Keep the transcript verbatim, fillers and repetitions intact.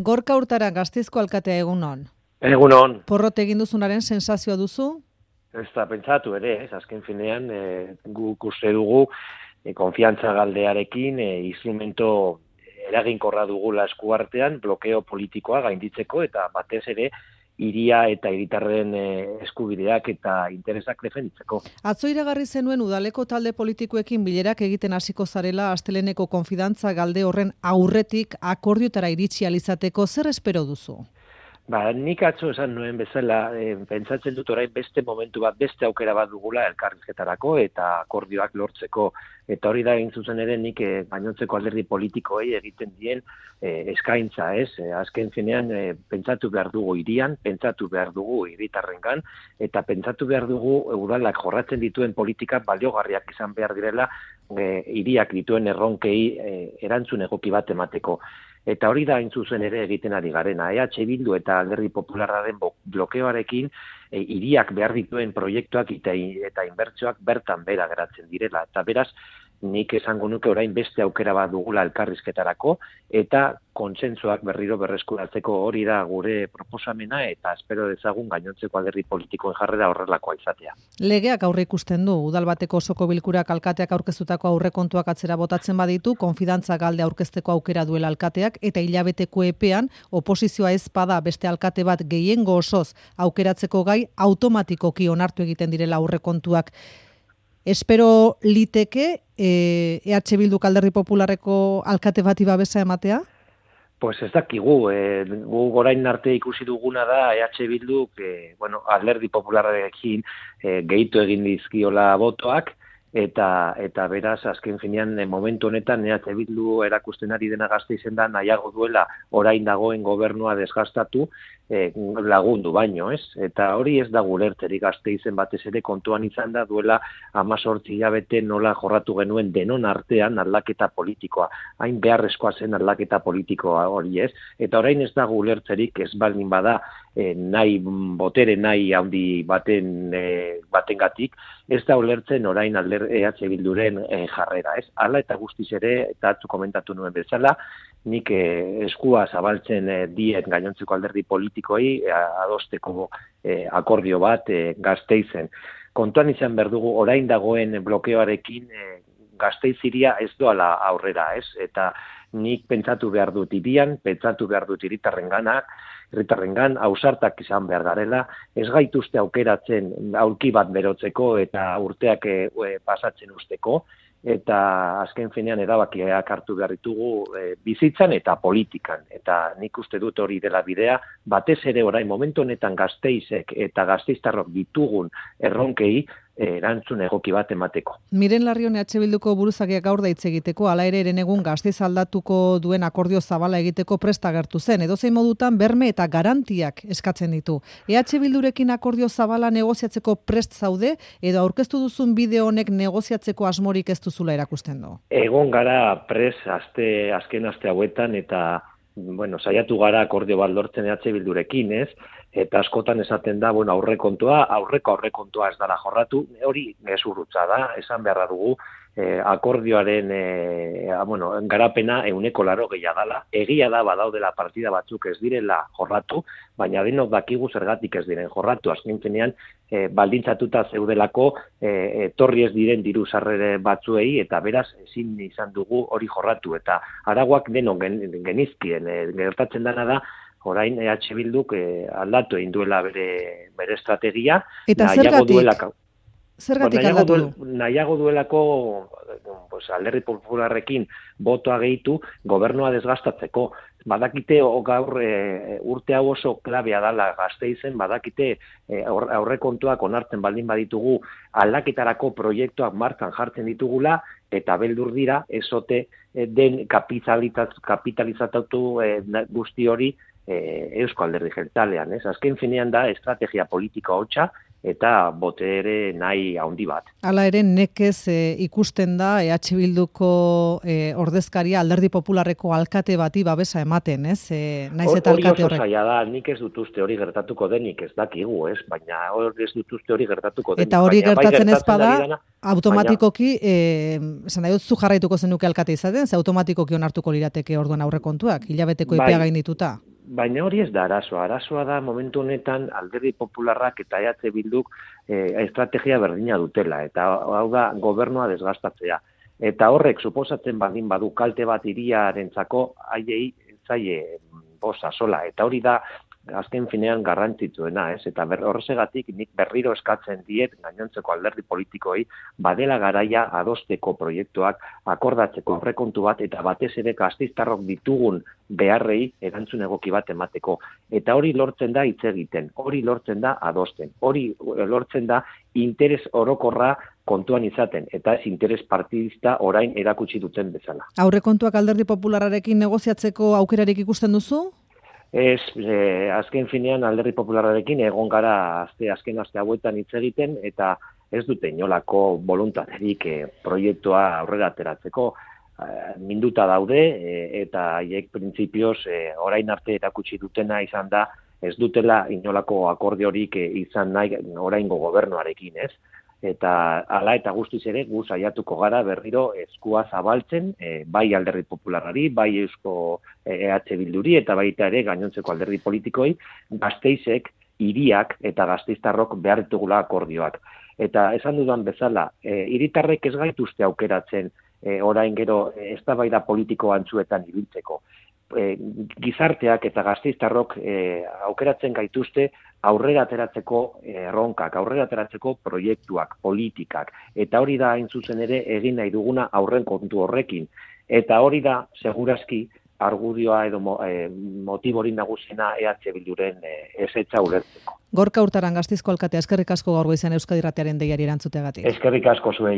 Gorka Urtara, Gasteizko alkatea, egunon. Egunon. Porrot egin duzunaren sensazioa duzu? Ez da pentsatu ere, ez, azken finean, e, guk uste dugu, e, konfiantza galdearekin, e, instrumento eraginkorra dugula eskuartean, blokeo politikoa gainditzeko, eta batez ere, hiria eta hiritarren e, eskubideak eta interesak defenditzeko. Atzo iragarri zenuen udaleko talde politikoekin bilerak egiten hasiko zarela asteleneko konfidantza galde horren aurretik akordiotara iritsi alizateko, zer espero duzu? Ba, nik atzo esan nuen bezala, e, pentsatzen dut orain beste momentu bat, beste aukera bat dugula elkarrizketarako eta akordioak lortzeko. Eta hori da egin zuzen ere nik e, gainontzeko alderdi politikoei egiten dien e, eskaintza, ez? E, azken finean e, pentsatu behar dugu hirian, pentsatu behar dugu hiritarrengan, eta pentsatu behar dugu udalak jorratzen dituen politikak baliogarriak izan behar direla e, hiriak dituen erronkei e, erantzun egoki bat emateko. Eta hori da hain zuzen ere egiten ari garena. E H Bildu eta Alderdi Popularraren blokeoarekin e, hiriak behar dituen proiektuak eta, eta inbertsioak bertan bera geratzen direla. Eta beraz, nik esango nuke orain beste aukera bat dugula elkarrizketarako eta kontsentsuak berriro berreskuratzeko hori da gure proposamena eta espero dezagun gainontzeko alderdi politikoen jarrera horrelakoa izatea. Legeak aurre ikusten du, udal bateko osoko bilkurak alkateak aurkeztutako aurrekontuak atzera botatzen baditu, konfidantza galde aurkezteko aukera duela alkateak eta hilabeteko epean oposizioa ez bada beste alkate bat gehiengo osoz aukeratzeko gai automatikoki onartu egiten direla aurrekontuak. Espero liteke E H Bildu Alderdi Popularreko alkate bati babesa ematea? Pues ez dakigu, e, gu orain arte ikusi duguna da E H Bildu, e, bueno, Alderdi Popularrekin e, gehitu egin dizkiola botoak, eta eta beraz azken finean e, momentu honetan E H Bildu erakusten ari dena Gasteizen da nahiago duela orain dagoen gobernua desgastatu e, lagundu baino, ez? Eta hori ez da gulertzerik Gasteizen batez ere kontuan izan da duela hemezortzi hilabete nola jorratu genuen denon artean aldaketa politikoa. Hain beharrezkoa zen aldaketa politikoa hori, ez? Eta orain ez da gulertzerik ez baldin bada e, nahi botere nahi handi baten e, batengatik, ez da ulertzen orain alder E H Bilduren e, jarrera, ez? Hala eta guztiz ere, eta atzu komentatu nuen bezala, nik e, eskua zabaltzen e, diet gainontzeko alderdi politikoei e, adosteko e, akordio bat e, Gasteizen. Kontuan izan behar dugu orain dagoen blokeoarekin e, Gasteiz hiria ez doala aurrera, ez? Eta nik pentsatu behar dut hirian, pentsatu behar dut hiritarrenganak, herritarrengan ausartak izan behar garela, ez gaituzte aukeratzen aurki bat berotzeko eta urteak e, pasatzen usteko, eta azken finean erabakiak hartu behar ditugu e, bizitzan eta politikan. Eta nik uste dut hori dela bidea, batez ere orain momentu honetan Gasteizek eta gasteiztarrok ditugun erronkei erantzun egoki bat emateko. Miren Larrion E H Bilduko buruzagiak gaur da hitz egiteko, hala ere herenegun Gasteiz aldatuko duen akordio zabala egiteko prest agertu zen. Edozein modutan berme eta garantiak eskatzen ditu. E H Bildurekin akordio zabala negoziatzeko prest zaude edo aurkeztu duzun bideo honek negoziatzeko asmorik ez duzula erakusten du? Egon gara prest aste azken aste hauetan eta bueno, saiatu gara akordio bat lortzen E H Bildurekin, ez? Eta askotan esaten da, bueno, aurrekontua, aurreko aurrekontua ez dela jorratu, hori gezurrutza da, esan beharra dugu, eh, akordioaren eh, bueno, garapena ehuneko laro gehiago dela, egia da badaudela partida batzuk ez direla jorratu, baina denok dakigu zergatik ez diren jorratu, azken finean eh, baldintzatuta zeudelako eh, etorri ez diren diru sarrere batzuei, eta beraz ezin izan dugu hori jorratu, eta aragoak denok gen, genizkien, eh, gertatzen dena da, orain E H Bilduk eh, aldatu egin duela bere, bere estrategia. Eta zergatik? Duelaka, zergatik nahiago aldatu du? Duel, nahiago duelako pues, Alderdi Popularrekin botoa gehitu gobernua desgastatzeko. Badakite gaur e, urte hau oso klabea dala Gasteizen, badakite e, aurrekontuak onartzen baldin baditugu aldaketarako proiektuak martxan jartzen ditugula, eta beldur dira ezote e, den kapitalizatatu e, guzti hori e, Eusko Alderdi Jeltzalean, ez? Azken finean da estrategia politiko hotza eta botere nahi handi bat. Hala ere, nekez e, ikusten da E H Bilduko e, ordezkaria Alderdi Popularreko alkate bati babesa ematen, ez? E, naiz eta alkate horrek. Hori oso zaila da, nik ez dut uste hori gertatuko denik, ez dakigu, ez? Baina hori ez dut uste hori gertatuko denik. Eta hori gertatzen ez bada, dana, automatikoki, esan nahi dut zu jarraituko zenuke alkate izaten, ze automatikoki onartuko lirateke orduan aurrekontuak, hilabeteko epea gaindituta. baina hori ez da arazoa. Arazoa da momentu honetan Alderdi Popularrak eta E H Bilduk eh, estrategia berdina dutela, eta hau da gobernua desgastatzea. Eta horrek suposatzen baldin badu kalte bat hiriarentzako haiei zaie bosa sola, eta hori da azken finean garrantzitsuena, ez? Eta horregatik nik berriro eskatzen diet gainontzeko alderdi politikoei badela garaia adosteko proiektuak, akordatzeko aurrekontu bat, eta batez ere gasteiztarrok ditugun beharrei erantzun egoki bat emateko. Eta hori lortzen da hitz egiten, hori lortzen da adosten, hori lortzen da interes orokorra kontuan izaten, eta ez interes partidista orain erakutsi duten bezala. Aurrekontuak Alderdi Popularrarekin negoziatzeko aukerarik ikusten duzu? Ez, eh, azken finean Alderdi Popularrarekin egon gara azte, azken aste hauetan hitz egiten, eta ez dute inolako boluntaterik eh, proiektua aurrera ateratzeko. Eh, minduta daude, eh, eta haiek printzipioz eh, orain arte erakutsi dutena izan da, ez dutela inolako akordiorik eh, izan nahi oraingo gobernuarekin, ez? Eta hala eta guztiz ere gu saiatuko gara berriro eskua zabaltzen, e, bai Alderdi Popularrari, bai Eusko E H Bilduri eta baita ere gainontzeko alderdi politikoi, Gasteizek, hiriak eta gasteiztarrok behar ditugula akordioak. Eta esan dudan bezala, e, hiritarrek ez gaituzte aukeratzen e, orain gero eztabaida politiko antzuetan ibiltzeko. E, gizarteak eta gasteiztarrok e, aukeratzen gaituzte aurrera ateratzeko erronkak, aurrera ateratzeko proiektuak, politikak, eta hori da hain zuzen ere egin nahi duguna aurren kontu horrekin. Eta hori da, segurazki, argudioa edo mo, e, motiborin nagusiena E H Bilduren e, ezetza ulertzeko. Gorka Urtaran, Gasteizko alkatea, eskerrik asko gaur goizean Euskadi Irratiaren deiari erantzuteagatik. Eskerrik asko zuei.